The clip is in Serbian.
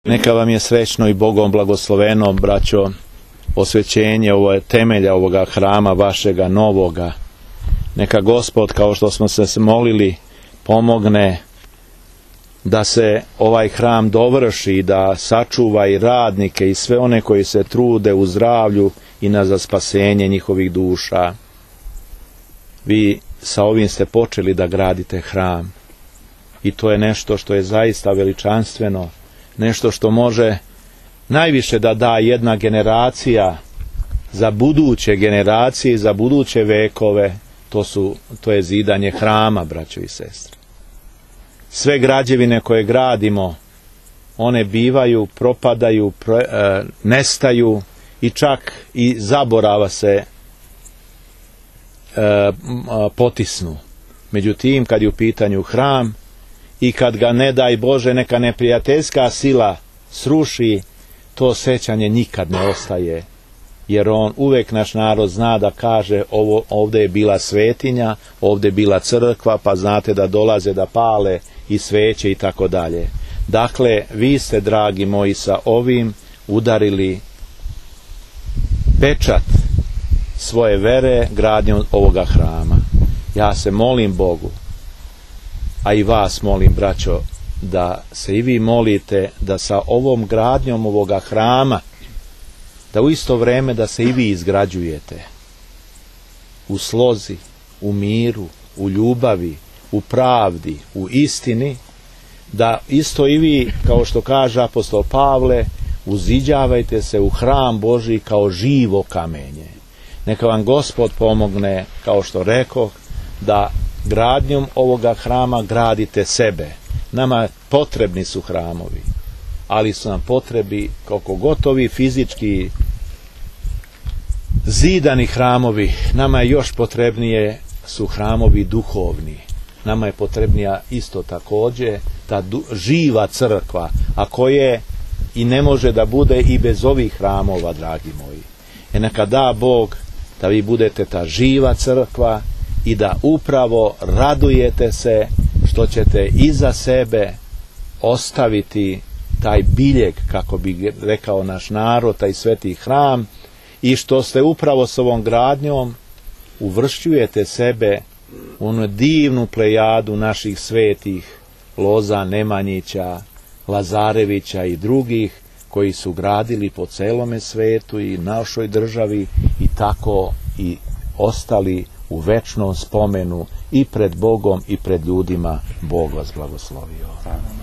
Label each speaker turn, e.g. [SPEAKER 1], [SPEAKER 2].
[SPEAKER 1] Neka vam je srećno i Bogom blagosloveno, braćo, osvećenje temelja ovoga hrama vašega novoga. Neka Gospod, kao što smo se molili, pomogne da se ovaj hram dovrši, da sačuva i radnike i sve one koji se trude u zdravlju i za spasenje njihovih duša. Vi sa ovim ste počeli da gradite hram i to je nešto što je zaista veličanstveno, nešto što može najviše da da jedna generacija za buduće generacije i za buduće vekove. To je zidanje hrama, braćo i sestre. Sve građevine koje gradimo, one bivaju, propadaju, nestaju i čak i zaborava se potisnu. Međutim, kad je u pitanju hram i kad ga, ne daj Bože, neka neprijateljska sila sruši, to sećanje nikad ne ostaje. Jer uvek naš narod zna da kaže ovdje je bila svetinja, ovdje je bila crkva, pa znate da dolaze da pale i sveće i tako dalje. Dakle, vi ste, dragi moji, sa ovim udarili pečat svoje vere gradnjom ovoga hrama. Ja se molim Bogu, a i vas molim, braćo, da se i vi molite da sa ovom gradnjom ovoga hrama, da u isto vreme da se i vi izgrađujete u slozi, u miru, u ljubavi, u pravdi, u istini, da isto i vi, kao što kaže apostol Pavle, uziđavajte se u hram Božji kao živo kamenje. Neka vam Gospod pomogne, kao što rekoh, da gradnjom ovoga hrama gradite sebe. Nama potrebni su hramovi, ali su nam potrebi, koliko gotovi fizički zidani hramovi, nama je još potrebnije su hramovi duhovni. Nama je potrebnija isto također ta živa crkva, a koje i ne može da bude i bez ovih hramova, dragi moji. Neka da Bog da vi budete ta živa crkva i da upravo radujete se što ćete iza sebe ostaviti taj biljeg, kako bi rekao naš narod, taj sveti hram, i što ste upravo s ovom gradnjom uvršćujete sebe u onu divnu plejadu naših svetih Loza, Nemanjića, Lazarevića i drugih koji su gradili po celome svetu i našoj državi i tako i ostali u večnom spomenu i pred Bogom i pred ljudima. Bog vas blagoslovio.